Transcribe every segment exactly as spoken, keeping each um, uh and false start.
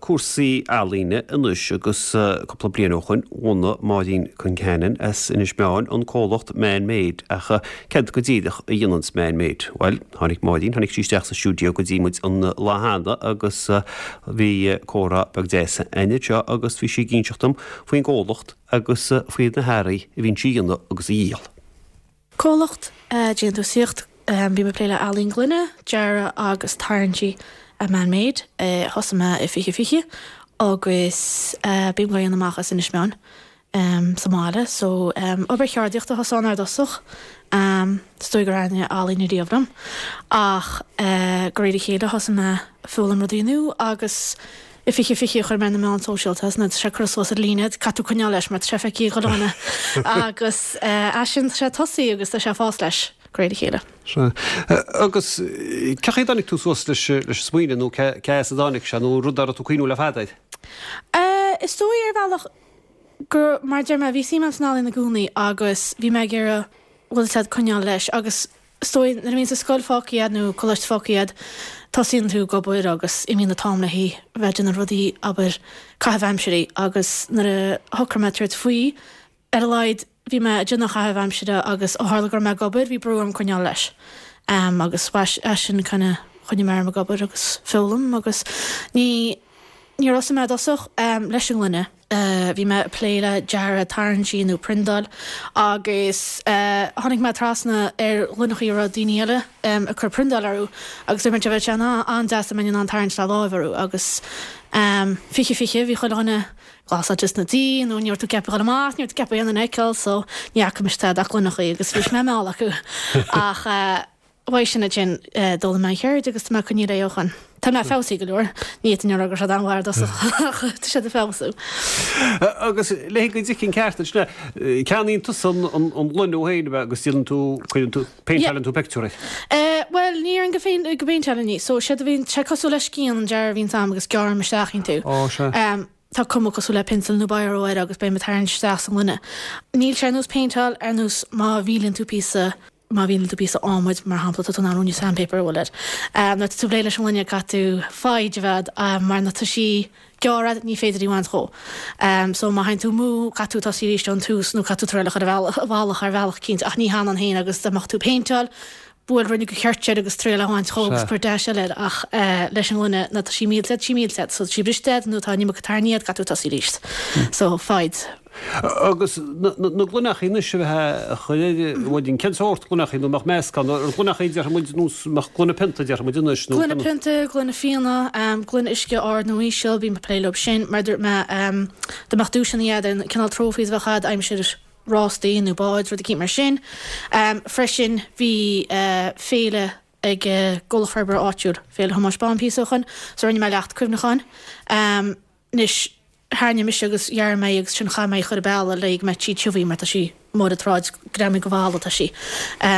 cúrsaí ealaíne anois agus cúpla bliain ó shoin bhunaigh Máirín Concannon as Inis Meáin an comhlacht Man Made ach céard go díreach a dhéananns Man Made. Bhuel, tháinig Máirín, tháinig sí isteach sa stiúideo go dtí muid an lá cheana agus bhí comhrá beag deas againn anseo agus bhí sí ag inseacht dom faoin gcomhlacht agus faoi na hearraí a bhíonn sí a dhéanamh agus a dhíol. Comhlacht déantúsaíocht bím ag plé le ealaín gloine, dearadh agus tarraingtí Man Made thosaigh mé i fiche fiche agus bím á dhéanamh amach as Inis Meáin sa mbaile so obair cheardaíochta a thosaigh ann ar dtosach is dóigh gur thaitnigh ealaín riamh liom ach de réir a chéile thosaigh mé ag foghlaim rudaí nua agus i fiche fiche chuir mé na meáin sóisialta nó sé cur suas ar líne caithfidh tú coinneáil leis mar tá sé feicthe ag chuile dhuine agus as sin tá sé tosaí agus tá sé ag fás leis de réir a chéile. Sea. Agus cén chaoi a dtáinig tú suas leis leis an smaoineamh nó cé as a dtáinig sé nó rud a raibh tú ag cuimhniú le fada air? Is dóigh ar bhealach gur mar deir mé bhí suim agam san ealaín i gcónaí agus bhí mé ag iarraidh bhfuil siad coinneáil leis agus is dóigh nuair a bhíonn sa scoil fágtha agat nó coláiste fágtha agat tosaíonn tú ag obair agus imíonn an t-am le bheith ag déanamh rudaí abair caitheamh aimsire agus nuair a shocraigh mé tabhairt faoi ar a laghad bhí mé ag déanamh caitheamh aimsire agus ó tharla go raibh mé ag obair bhí brú orm coinneáil leis um, agus as sin kind of choinnigh mé orm ag obair agus foghlaim agus ní ní thosaigh mé i dtosach um, leis an ngloine. Uh, bhí mé ag plé le dearadh tarraingtí nó priontáil agus uh, tháinig mé trasna ar ghloineacha a raibh daoine eile um, ag cur priontáil orthu agus dúirt mé bheadh sé an-deas dá mbeinn in ann tarraingt le láimh orthu agus um, fiche fiche bhí chuile dhuine glasáilte sna tithe nó ní raibh tú ceaptha dul amach, ní raibh tú ceaptha aon duine a fheiceáil so ní fhaca mise tada ach gloineacha agus bhí mé meall acu ach uh, uaidh sin ansin d'fhoghlaim mé an cheird agus tá mé ag coinneáil léi ó shoin. Tá mé feabhsaithe go leor, ní fhéadfainn a rá go raibh siad an-mhaith ar dtosach ach tá siad ag feabhsú. Agus le go dtuigfinn ceart ansin, ceannaíonn tusa an ghloine thú féin agus déanann tú, cuireann tú, péinteálann tú pictiúr air? Bhuel, ní déarfainn go féin go bpéinteálaim í. So séard a bhíonn, sé cosúil le scian an dearadh a bhíonns a'm agus gearraim isteach iontu. Ó, sea. Tá cuma cosúil le pencil nó biro air agus beidh mé ag tarraingt isteach sa ngloine. Níl sé ar nós péinteáil ar nós má mhíleann tú píosa má mhíleann tú píosa adhmaid mar shampla tá tú in ann ruainne sandpaper a bhualadh air. Nuair atá tú ag plé leis an ngloine caithfidh tú foighid a bheith agat mar nuair atá sí gearrtha ní féidir í a bhaint dhó. So má théann tú amú caithfidh tú tosaí arís ón tús nó caithfidh tú triail a chur i bhfalach ar bhealach eicínt ach ní thanann féin agus dá mbeadh tú ag péinteáil buail ruainne de cheirt air agus triail a bhaint dhó agus cuir dash eile air ach leis an ngloine nuair atá sí millte tá sí millte so tá sí briste agat nó tá an iomarca tairní agat caithfidh tú tosaí arís. So foighid. Agus na gloineachaí anois a bheith a chur ar bhuel cén sórt gloineachaí nó mbeadh meascán ar gloineachaí déarfaidh muid nó mbeadh gloine pionta déarfaidh muid anois nó Gloine pionta, gloine fíona, gloine uisce ard nó íseal, bím ag plé leo sin mar dúirt mé dá mbeadh duaiseanna agat ar cineál trophies a bheadh agat aimsir rástaí nó báid, rud eicínt mar sin. Freisin bhí féile ag gComhlacht Forbartha Áitiúil, Féile Thomáis Bán píosa ó shoin, so rinne mé leacht cuimhneacháin. Anois, tharraing mise agus ghearr mé í agus sin chaith mé í chur i bealach léi go mbeadh sí tiubh mar tá sí mór ar an tsráid greamaithe go bhalla tá sí.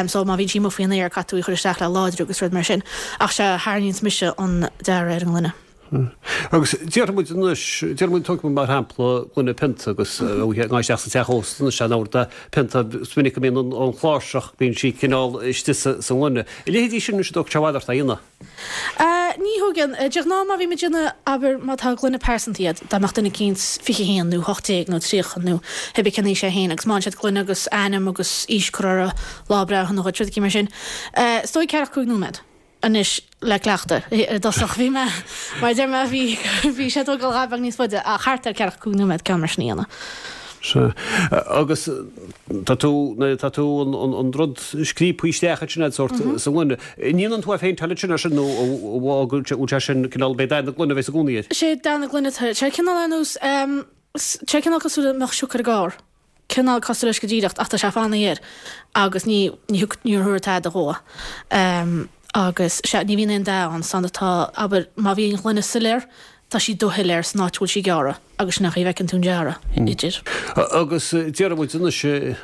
So má bhíonn sí amuigh faoin aer caithfidh tú í chur isteach le láidriú agus rud mar sin. Ach sea, tharraingíonns mise an dearadh ar an ngloine. Agus déarfaidh muid anois, déarfaidh muid, tógfaidh muid mar shampla gloine pionta agus ag dul isteach sa teach ósta anois an uair pionta, is minic go mbíonn an chláirseach, bíonn sí cineál istigh sa ngloine. A leithéidí sin anois an dtógfaidh sé i bhfad ort é a dhéanamh? Ní thógann. De ghnáth má bhím ag déanamh, abair má tá gloine pearsanta iad, dá mbeadh duine eicínt fiche haon nó hocht déag nó tríocha nó pé cén aois é féin agus má bhíonn siad gloine agus ainm agus aois curtha orthu, lá breithe shona dhuit, rud eicínt mar sin. Is dóigh ceathracha cúig nóiméad. Anois le cleachtadh. I dtosach bhí mé, mar a deir mé, bhí, bhí sé ag tógáil dhá bheag níos faide ach thart ar ceathracha cúig nóiméad ceann mar sin a dhéanamh. Sea. Agus tá tú, nuair atá tú an, an, an rud scríobtha isteach ansin a'd sórt sa ngloine, an ndéanann tú é a phéinteáil ansin ar sin nó an bhfuil sé sin cineál, b'é dath na gloine a bheas i gcónaí air? Sé dath na gloine atá air. Sé cineál ar nós, sé cineál cosúil le mbeadh siocair i gcarr. Cineál cosúil leis go díreach ach tá sé fanaithe air agus ní ní thug níor thabhair tada dhó. Agus sea, ní bhíonn aon dath ann san atá, abair, má bhí an ghloine soiléir, tá sí dúshoiléir san áit a bhfuil sí gearrtha agus sin an chaoi a bhfeiceann tú an dearadh idir. Agus déarfaidh muid anois,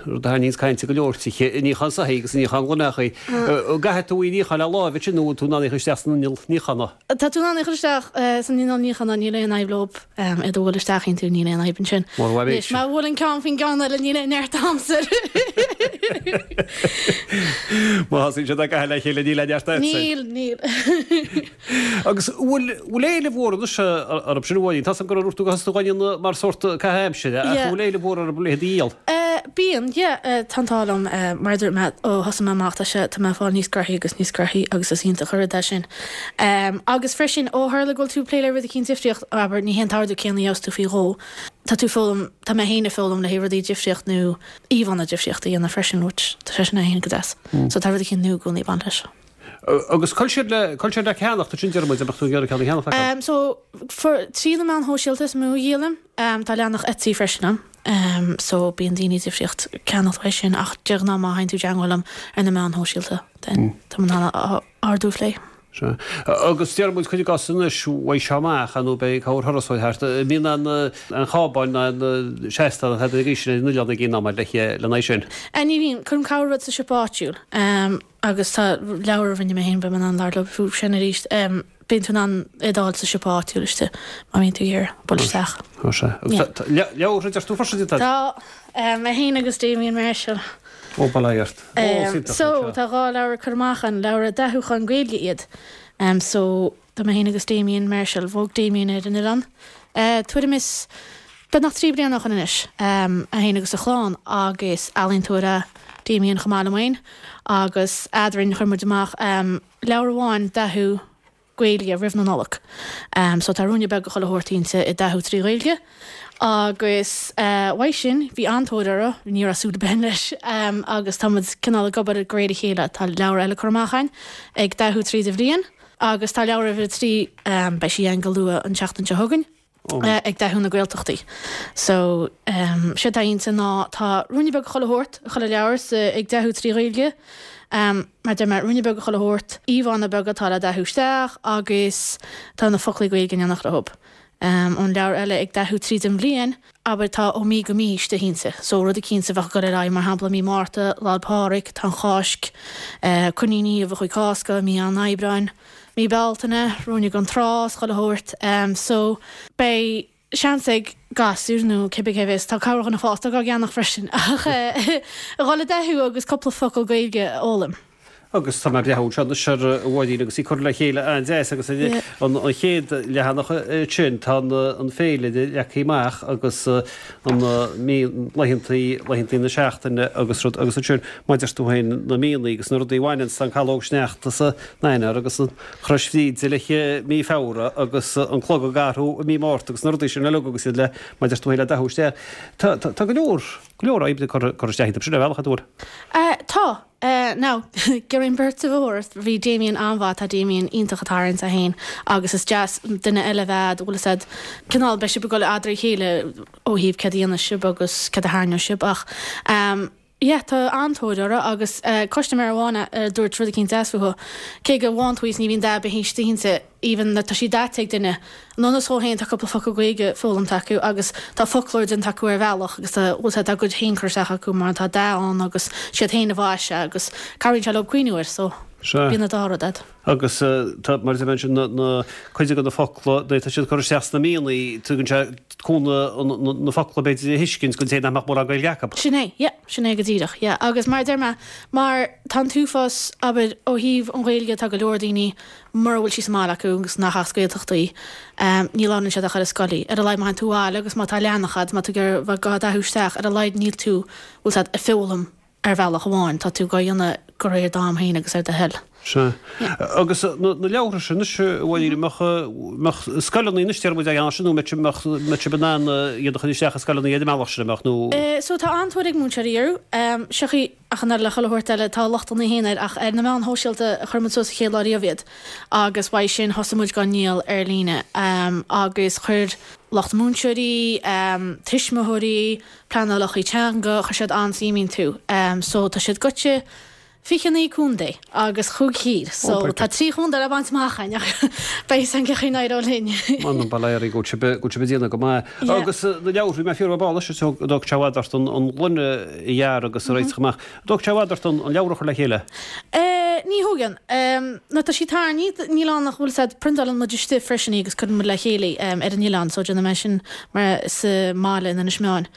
rud a thaitníonns cainte go leor tithe, níochán soithí agus níochán gloineachaí. An gcaithfidh tú í a níochán le láimh ansin nó bhfuil tú in ann í a chur isteach san inneall níochána? Tá tú in ann é a chur isteach san inneall níochána, níl aon fhadhb leo. Iad a bhualadh isteach iontu, níl aon fhadhb ansin. Anois, má bhuaileann ceann faoin gceann eile, níl aon neart a'msa. Má thosaíonn siad ag caitheamh le chéile, níl aon neart a'dsa. Níl, níl. Agus bhfuil, bhfuil éileamh mhór anois orthu sin amháin. Tá gur rúirtú go hasú mar sórt caitheamh aimsire a Yeah. bhfuil éileamh mór ar a dhíol. Uh, Bíonn, yeah, uh, tá an t-ádh liom uh, mar dúirt mé ó thosaigh mé amach tá sé tá mé fáil níos gnoithí agus níos gnoithí agus is iontach an rud é sin. Um, agus freisin ó tharla go bhfuil tú plé le rud éicint difríocht abair ní hé an t-ordú céanna a gheobhas tú faoi dhó. Tá tú foghlaim tá mé féin ag foghlaim le rudaí difríocht nó íomhánna difríocht a dhéanamh freisin, which tá sé sin féin go deas. Mm. So tá rud éicint nua i gcónaí ag baint leis. Agus coil siad le coil siad le ceannacht sin deir muid tú ceann cheannacht. Um, so for trí na meáin shóisialta is mó a dhíolaim, um, tá leathanach Etsy freisin ann. Um, so bíonn daoine difríocht ceannacht uaidh sin ach de ghnáth má théann tú i dteagmháil liom ar na meáin shóisialta then tá mé in ann ordú a phlé. Se. Agus deir muid chuid gas anois bhaid se amach an nó beidh cabhair thurasóirí thart. Bíonn an an chábáin an seasta an ag sin nuile ag gin le le sin. Uh, ní bhíonn cuirim cabhair rud sa siopa áitiúil um, agus tá leabhar a rinne mé féin beidh mé in ann labhairt faoi sin arís um, bíonn tú in ann é d'fháil sa siopa áitiúil istigh má bhíonn tú ag bualadh isteach. Se. Leabhar deir tú freisin tá? Tá mé féin agus Damien Marshall. Ó bailíart. Um, so tá dhá leabhar curtha amach an leabhar dathúcháin Gaeilge iad. Um, so tá mé féin agus Damien Marshall bhog Damien ar an oileán. Uh, Tuairim is beagnach trí bliana ó shin anois um, é féin agus a chlann agus ealaíontóir é Damien chomh maith liom féin agus eadrainn chuir muid amach um, leabhar amháin dathú Gaeilge roimh na Nollag. Um, so tá ruainne beag chuile shórt inti i dathú trí Ghaeilge. Agus uh, uaidh sin bhí an-tóir air ní raibh súil againn leis um, agus tá muid cineál ag obair de réir a chéile tá leabhar eile curtha amach againn ag dathú tríd an bhliain agus tá leabhar uimhir a trí um, beidh sí ann go luath an tseachtain seo chugainn. Oh. Uh, ag dathú na Gaeltachtaí. So um, sé tá inti ná tá ruainne beag chuile shórt chuile leabhar sa ag dathú trí Ghaeilge. Um, mar de mar ruainne beag chuile shórt íomhánna beaga atá le dathú isteach agus tá na foclaí Gaeilge in éineacht leo. Um, an leabhar eile ag dathú tríd an bhliain, abair tá ó mí go mí istigh inti. So rud éicint a bheadh go ar mar shampla mí Márta, Lá Pádraig, tá an Cháisc, uh, coiníní a bheith chuig Cásca, mí an Aibreáin, mí Bealtaine, ruainne don trá, chuile shórt. Um, so beidh seans ag gasúir nó cibé cé bheas tá cabhair na fásta á gceannach freisin ach eh, a dhul le dathú agus cúpla focal Gaeilge a fhoghlaim. Agus tá breú se se bhhaí agus í chur le chéile an deas agus Yeah. an an chéad leathanach sin tá an féile leagtha amach agus an mí laethanta laethanta na seachtaine agus rud agus sin maidir tú féin na míonna agus na rudaí bhaineann san calóg sneachta sa Eanáir agus an Chrois Bhríde le mí Feabhra agus an clog ag athrú mí Márta agus na rudaí sin uilig agus iad le maidir tú féin le dathú isteach. Tá tá go leor go leor oibre chur isteach sin a bhealach a dúir. Uh, tá Uh, now Gerin bert a bhór bhí Damien an-mhaith tá Damien iontach atá sa hain agus is deas duine eile bheith bhfuil said cineál beidh sibh ag dul eadar chéile ó thaobh cad a dhéanann sibh agus cad a thaitneoidh sibh ach um, Yeah, tá an-tóir orthu agus uh, custaiméir amháin uh, dúirt rud éicint deas fúthu. Cé go bhfaigheann tú ní bhíonn dath istigh inti even na tá sí daite ag duine. Nona só héin tá cúpla focal Gaeilge foghlamtha acu agus tá foclóir déanta acu ar bhealach agus tá bhfuil tá gcuid féin curtha acu mar tá dath ann agus siad féin a mhaisigh sé agus cabhraíonn sé leo cuimhniú air so bíonn dá rud agat. Agus tá mar a sin na cuid go na focla tá siad chur isteach na míonna tugann sé cúnamh na focla b'fhéidir a thuiscint go dté nach mór Gaeilge acu. Sin é, yeah, sin é go díreach, yeah. Agus mar deir mé mar tá túfás abair ó thaobh an Ghaeilge tá go leor daoine mura bhfuil sí sa mbaile acu agus nach as Gaeltachtaí um, ní labhrann siad ach ar an scoil í. Ar a laghad má tú abhaile agus má tá leathanach agat má tú gur bheith gá dathú isteach ar a laghad níl tú bhfuil said ag foghlaim ar bhealach amháin tá tú á dhéanamh de réir d'am féin agus ar do thoil. Se. Agus na leabhra sin bhfuil mbeadh scoileanna anois muid ag sin nó mbeadh sibh in ann iad a chur isteach i scoileanna iad meach sin amach nó. So tá an-tóir ag múinteoirí orthu seochaí ach an le chuile shórt eile tá luchtanna féin air ach ar na meáin shóisialta a chuir muid suas an chéad lá riamh iad agus uaidh sin thosaigh muid á ndíol ar líne um, agus chuir lucht múinteoirí, um, tuismitheoirí, pleanálacha teanga chuir siad an-suim iontu. Um, so tá siad goite fiche naoi contae agus chúig thír, so oh, tá trí chontae le baint amach beidh an cein éir linn. Man an baléirí go go déna go maith. Agus na leabhar mé fiú bá dog tehaart an an gloine dhear agus réit amach. Dóg tehaart an leabhar chur le chéile? Ní thugann na tá sí tarní níl nach bhfuil said printálann muid istigh freisin agus cuireann muid le chéile ar an oileán so déanann mé sin mar sa mbaile in Inis Meáin.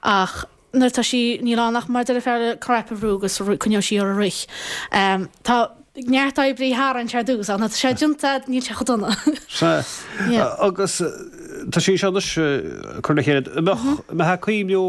Ach nuair tá sí níl ann ach mar deir fear crap a bhrú agus coinneoidh sí ar a rith. Um, tá neart oibre a tharraingt ar dtús, ach nuair atá sé déanta agat, níl sé chomh dona. Sea. Agus tá sí seo anois curtha le chéile. An mbeadh ag cuimhniú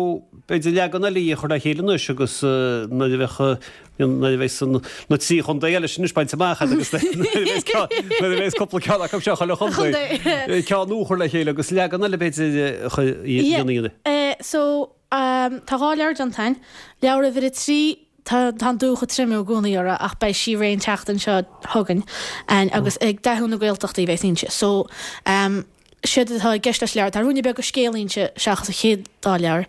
b'fhéidir leagan eile a chur le chéile anois agus nuair a bheadh nuair a bheas na trí chontae eile sin anois bainte amach agat agus nuair a bheas cúpla ceann acu seo chuile chontae ceann nua a chur le chéile agus leagan eile b'fhéidir a dhéanamh. So tá dhá leabhar déanta againn, leabhar uimhir a trí Tá an dúch ag triomú i gcónaí uirthi ach beidh sí réidh an tseachtain seo chugainn agus ag dathú na Gaeltachtaí a bheas inti. So, séard atá i gceist leis an leabhar, tá ruainne beag de scéal inti seachas an chéad dá leabhar.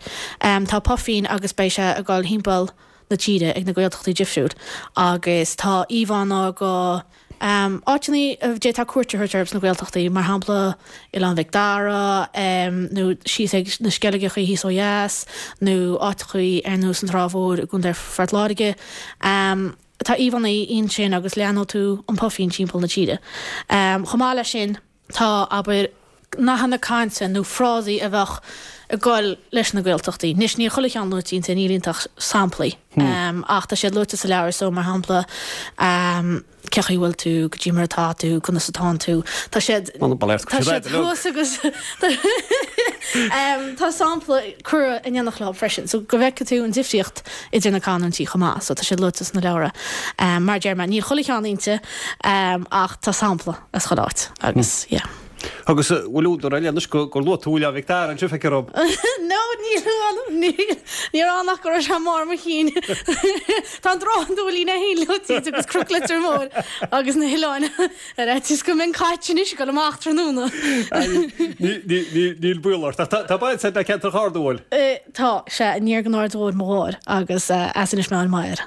Tá Puifín agus beidh sé ag dul thimpeall na tíre ag na Gaeltachtaí difriúil agus tá íomhánna go Áiteanna a d'fhéadfá cuairt a thabhairt orthu sna Gaeltachtaí, mar shampla Oileán Mhic Dara, nó síos ag na Sceilgeachaí thíos ó dheas, nó áiteachaí ar nós an Trá Mhór i gContae Phort Láirge. Tá íomhánna ansin agus leanfaidh tú an Puifín timpeall na tíre. Chomh maith leis sin, tá, abair, nathanna cainte nó frásaí a bheadh ag goil leis na Gaeltachtaí. Anois, níl chuile cheann luaite inti, níl inti ach samplaí, ach tá siad luaite sa leabhar so, mar shampla, cé chaoi bhfuil tú, goidé mar atá tú, conas atánn tú. Tá siad, tá siad thuas agus tá sampla curtha in éineacht leo freisin, so go bhfeicfidh tú an difríocht idir na canúintí chomh maith, so tá siad luaite sna leabhra. Mar a deir mé, níl chuile cheann inti ach tá sampla as chuile áit agus yeah. Agus bhfuil údar eile anois gur luaigh tú Oileán Mhic Dara anseo, feictear dom. No, níl, níl, níor fhan ach go raibh sé i mbarr mo chinn. Tá an Trá an Dúilín é féin luaite agus Cnoc Leitir Móir agus na hoileáin ar fhaitíos go mbeinn caite anois ag dul amach tráthnóna. Níl baol ort. Ach tá baint agat le ceantar Charna, an bhfuil? Tá, sea, aniar den Aird Mhóir mo mháthair agus as Inis Meáin m'athair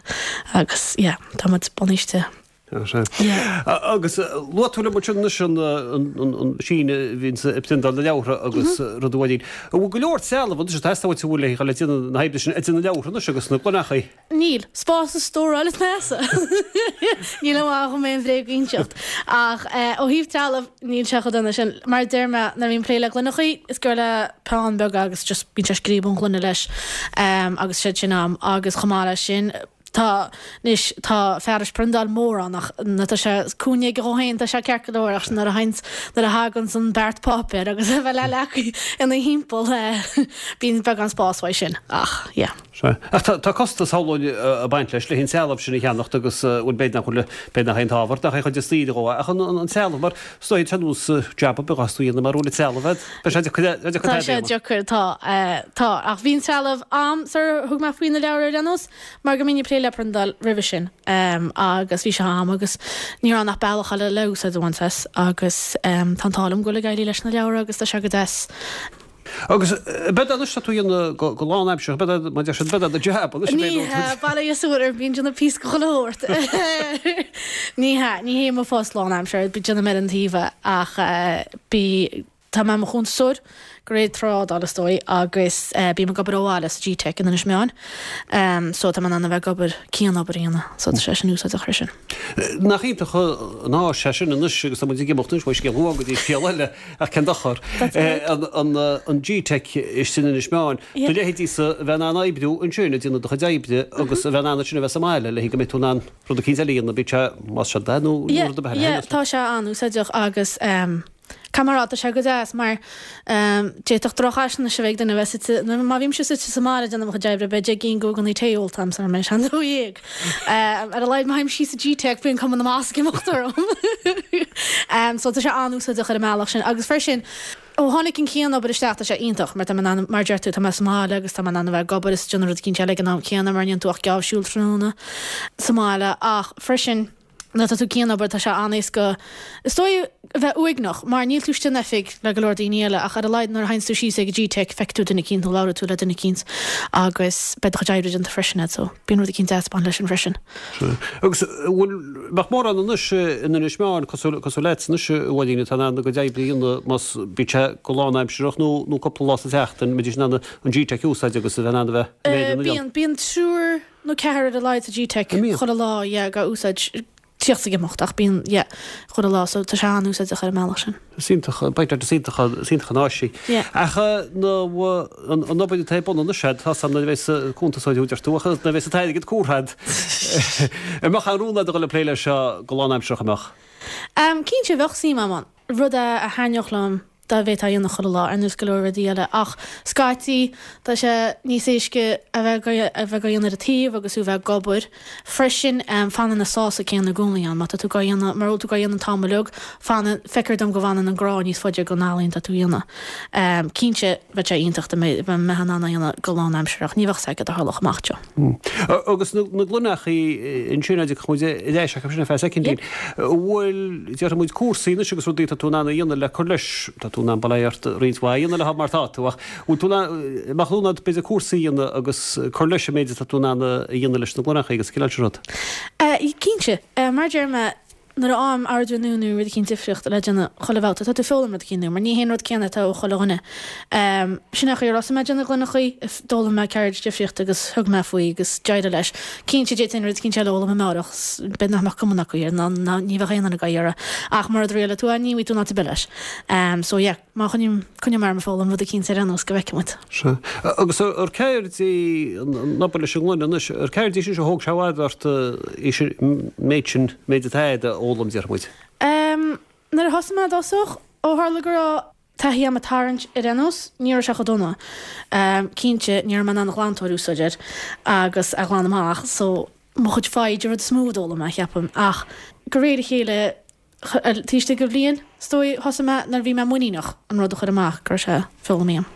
agus yeah, tá muid bunaithe. Agus luaigh tú liom ansin anois an meaisín a bhíonns ag priontáil na leabhartha agus rud amháin. An bhfuil go leor trealamh anois ag teastáil uait an bhfuil le le déanamh na hoibre sin ag déanamh leabhartha anois agus na gloineachaí? Níl. Spás a stóráil is measa. Níl amach chun mé an bhréag a inseacht. Ach ó thaobh trealamh níl sé chomh dona sin. Mar a deir mé nuair a bhím ag plé le gloineachaí is gur le peann beag agus just bíonn sé ag scríobh an ghloine leis agus siad sin am agus chomh maith leis sin Tá, anois, tá fearais priondáil mór ann ach nuair atá sé cúinne aige dhó féin tá sé ceart go leor ach nuair a théanns, nuair a thaganns an beart páipéir agus a bheith le leacaí ina thimpeall bíonn beagán spáis uaidh sin ach yeah. Sea. Ach tá, tá costas shamhlóinn ag baint leis, le an trealamh sin a cheannacht agus bhuel b'fhéidir nach bhfuil, b'fhéidir nach é an t-ábhar, nach é chuid de saoire dhó ach an, an trealamh mar is dóigh ar nós jab ar bith a bheas tú a dhéanamh mara bhfuil an trealamh agat, beidh sé deacair, deacair Tá sé deacair, tá, tá ach bhí an trealamh a'm sar thug mé faoi na leabhair ar aon nós. Mar go mbínn ag plé le priondáil roimhe sin agus bhí sé a'm agus ní raibh ann ach bealach eile le úsáid a bhaint as agus tá an t-ádh liom go bhfuil ag éirí leis na leabhra agus tá sé go deas. Agus ab ea anois tá tú a dhéanamh go lánaimseartha, ab ea mar deir siad, ab ea do jab anois Ní hea, bail ó Dhia is orm, bíonn déanamh píosa de chuile shórt. Ní hea, ní hé mo phost lánaimseartha, déanaim ar an taobh é ach bí, Tá mé i mo chuntasóir de réir trádála is dóigh agus bím ag obair ó bhaile sa G-Tech in Inis Meáin so tá mé in ann a bheith ag obair cianobair a dhéanamh so tá sé sin úsáideach freisin. Nach iontach an áis é sin anois agus tá muid ag imeacht anois ó scéal amháin go dtí scéal eile ach cén dochar. An G-Tech istigh in Inis Meáin, do leithéidísa a bheith in ann oibriú ansin ag déanamh do chuid oibre agus a bheith in ann ansin a bheith sa mbaile le go mbeidh tú in ann rud eicínt eile a dhéanamh, bíodh sé más sé dath nó rud ar bith eile. Yeah, tá sé an-úsáideach agus Caithfidh mé a rá, tá sé go deas mar d'fhéadfadh drochfhaisnéis a bheith ag duine a bheith suite, má bhímse suite sa mbaile ag déanamh mo chuid oibre, beidh deich gcinn gugannaí tae ólta a'm sara mbeidh sé an dó dhéag. Ar a laghad má théim síos sa G-Tech bíonn cuma na mbas ag imeacht orm. So tá sé an-úsáideach ar an mbealach sin. Agus freisin, ó tháinig an cianobair isteach tá sé iontach mar tá mé in ann, mar a deir tú, tá mé sa mbaile agus tá mé in ann a bheith ag obair is ag déanamh rud eicínt eile ag an am céanna mar ní dhéanann tú ach geábh siúil tráthnóna sa mbaile ach freisin, Nuair atá tú ag cianobair tá sé an-éasca is dóigh a bheith uaigneach mar níl tú istigh in oifig le go leor daoine eile ach ar a laghad nuair a théanns tú síos ag an G-Tech feicfidh tú duine eicínt nó labhróidh tú le duine eicínt agus beidh do chuid oibre déanta freisin agat so bíonn rud eicínt deas ag baint leis sin freisin. Sea. Agus bhfuil, mbeadh mórán anois in Inis Meáin cosúil, cosúil leat anois a Mháirín atá in ann a gcuid oibre a dhéanamh más, bíodh sé go lánaimsearach nó, nó cúpla lá sa tseachtain, mbeidís in ann an G-Tech a úsáid agus a bheith in ann a bheith in Éirinn Bíonn, bíonn triúr nó ceathrar ar a laghad sa G-Tech chuile lá, yeah, á úsáid. tíocht ag imeacht ach bíonn yeah chuile lá so tá sé an-úsáideach ar an mbealach sin. Is iontach b'fhéidir is iontach is iontach an áis í. Yeah. Ach na an an obair atá ar bun anois agat tá san nuair a bheas cuntasóir úd tú ach nuair a bheas an t-airgead curtha agat. An mbeadh aon rún agat a dhul ag plé leis seo go lánaimseartha an mbeadh? Um, cinnte bheadh suim agam ann. Rud a a thaitneodh liom dá bhféadfá a dhéanamh chuile lá ar nós go leor rudaí eile ach scaití tá sé níos éasca a bheith a bheith á dhéanamh ar an taobh agus tú bheith ag obair. Freisin um, fanann an sásamh céanna i gcónaí ann má tá tú á dhéanamh mar tú á dhéanamh an t-am uilig fanann feictear dom go bhfanann an grá níos faide don ealaín tá tú a dhéanamh. Um, cinnte bheadh sé iontach dá mbeinn in ann a dhéanamh go lánaimseartha ní bheadh sé go tharlódh amach seo. Agus na gloineachaí ansin a muid leis ach sin fe secondín. Bhfuil deir muid cúrsaí anois agus rudaí tá tú in ann a dhéanamh le cur leis tá tú in ann bail ó Dhia ort roinnt mhaith a dhéanamh le mar tá tú ach bhfuil tú mach lúnad b'fhéidir cúrsaí a dhéanamh agus cur leis an méid atá tú in ann a dhéanamh leis na gloineachaí agus cineál sin rud. Cinnte, mar deir mé nuair a fhaighim ordú nua nó rud éicint difríocht le déanamh chuile bhabhta tá tú ag foghlaim rud éicint nua, mar ní haon rud céanna atá ó chuile dhuine. Um, sin é an chaoi ar thosaigh mé ag déanamh gloineachaí, d'fhoghlaim mé ceird difríocht agus thug mé faoi agus d'éirigh leis. Cinnte d'fhéadfainn rud éicint eile a fhoghlaim amárach, b'fhéidir nach mbeadh cuma acu air, ná ná ní bheadh aon fhonn air ach mura dtriaileann tú é ní bhfaighidh tú in áit ar bith leis. Um, so yeah, má choinním coinneoidh mé orm ag foghlaim rud éicint ar aon nós go bhfeicfidh muid. Sea. Agus ar ceird í an obair leis an ngloine anois, ar ceird í sin seo thóg sé i bhfad ort í sin méid sin méid atá agat a fhoghlaim deir muid. Um, nuair a thosaigh mé i dtosach ó tharla go raibh taithí agam ag tarraingt ar aon nós, ní raibh sé chomh dona. Um, cinnte ní raibh mé in ann glantóir a úsáid air agus a ghlanadh amach, so mo chuid foighid an rud is mó a d'fhoghlaim mé cheapaim ach go réir a chéile taobh istigh de bhliain is dóigh thosaigh mé nuair a bhí mé muiníneach an rud a chur amach go raibh sé foghlamtha agam.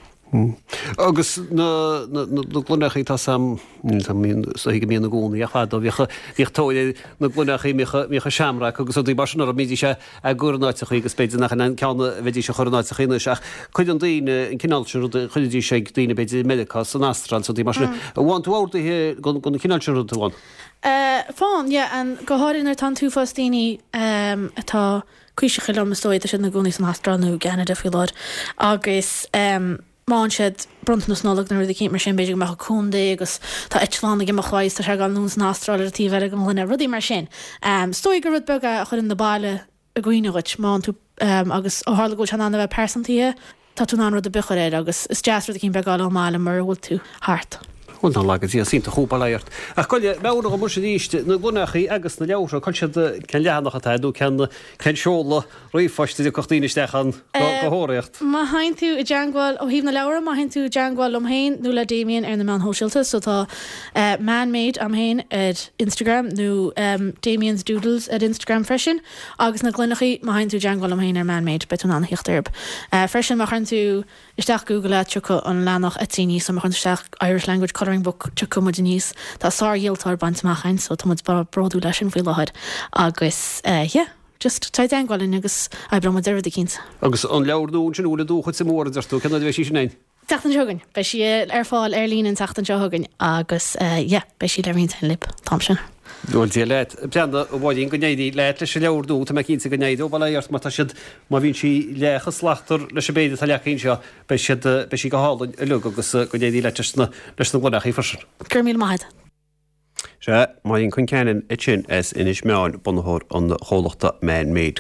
Agus na na na gloineachaí tá sam go mbíonn i gcónaí ach fadó bhíodh bhíodh tóir na gloineachaí mbíodh shamrock agus rudaí mar sin orthu bhídís á gcur in áiteachaí agus b'fhéidir nach an ceann a bheidís a chur in áiteachaí anois ach cuireann daoine an cineál sin rudaí chuiridís ag daoine b'fhéidir i Meiriceá san Astráil rudaí mar sin. Bhain tú orduithe den chineál sin rud amháin? Faigheann, yeah, an go háirithe nuair atá an t-uafás daoine um, atá cuíseacha liom is dóigh tá siad ina gcónaí san Astráil nó i gCeanada faoi láthair agus um, má fhaigheann siad bronntanas Nollag nó rud éicint mar sin b'fhéidir go mbeadh contae agus tá eitleán ag imeacht uaidh tá sé ag dul anonn san Astráil ar an taobh eile den ghloine, rudaí mar sin. Um, is dóigh gur rud beag é a chuireann na baile i gcuimhne dhuit má tú um, agus ó tharla go bhfuil sé in ann a bheith pearsantaithe, tá tú in ann rud ar bith a chur air agus is deas rud éicint beag a fháil ón mbaile mar a bhfuil tú thart. Bhuel ná laga Dia iontach bail ó Dhia ort. Ach goile meabhraigh dom arís na gloineachaí agus na leabhartha cá siad cén leathanach atá nó cén cén seoladh ríomhphoist a dtiocfadh daoine isteach ann go thóraíocht. Má théann tú i dteagmháil ó thaobh na leabhar má théann tú i dteagmháil liom féin nó le Damien ar na meáin shóisialta, so tá uh, man-made am féin ar Instagram nó um, Damien's Doodles ar Instagram freisin, agus na gloineachaí má théann tú i dteagmháil liom féin ar man-made beidh tú in ann a theacht orthu. Uh, freisin má chuireann tú isteach Google é tiocfaidh an leathanach Etsy aníos, so má chuireann tú isteach Irish Language Colouring Book tiocfaidh muid aníos. Tá sárdhíoltóir bainte amach againn, so tá muid bródúil leis sin faoi láthair agus uh, yeah, just tá dteagmháil linn agus oibreoidh muid ar rud éicint. Agus an leabhar nua sin bhfuil dúchas i mór deir tú cén bheidh sí sin ein? Seachtain seo chugainn, beidh sí ar fáil ar líne an tseachtain seo chugainn agus uh, yeah, beidh sí le roinnt libh an t-am sin. Bhuel Dia leat Breanda bháín go n-éirí leat leis an leabhar nua tá mé cinnte go n-éireoidh bail ó Dhia ort mar tá siad má bhíonn sí leath slachtmhar leis an méid atá leagtha anseo beidh siad beidh sí go hálainn uilig agus go n-éirí leat leis na leis na gloineachaí freisin. Gur míle maith. Sé Máirín Concannon ansin as Inis Meáin bunaitheoir an chomhlachta Man Made.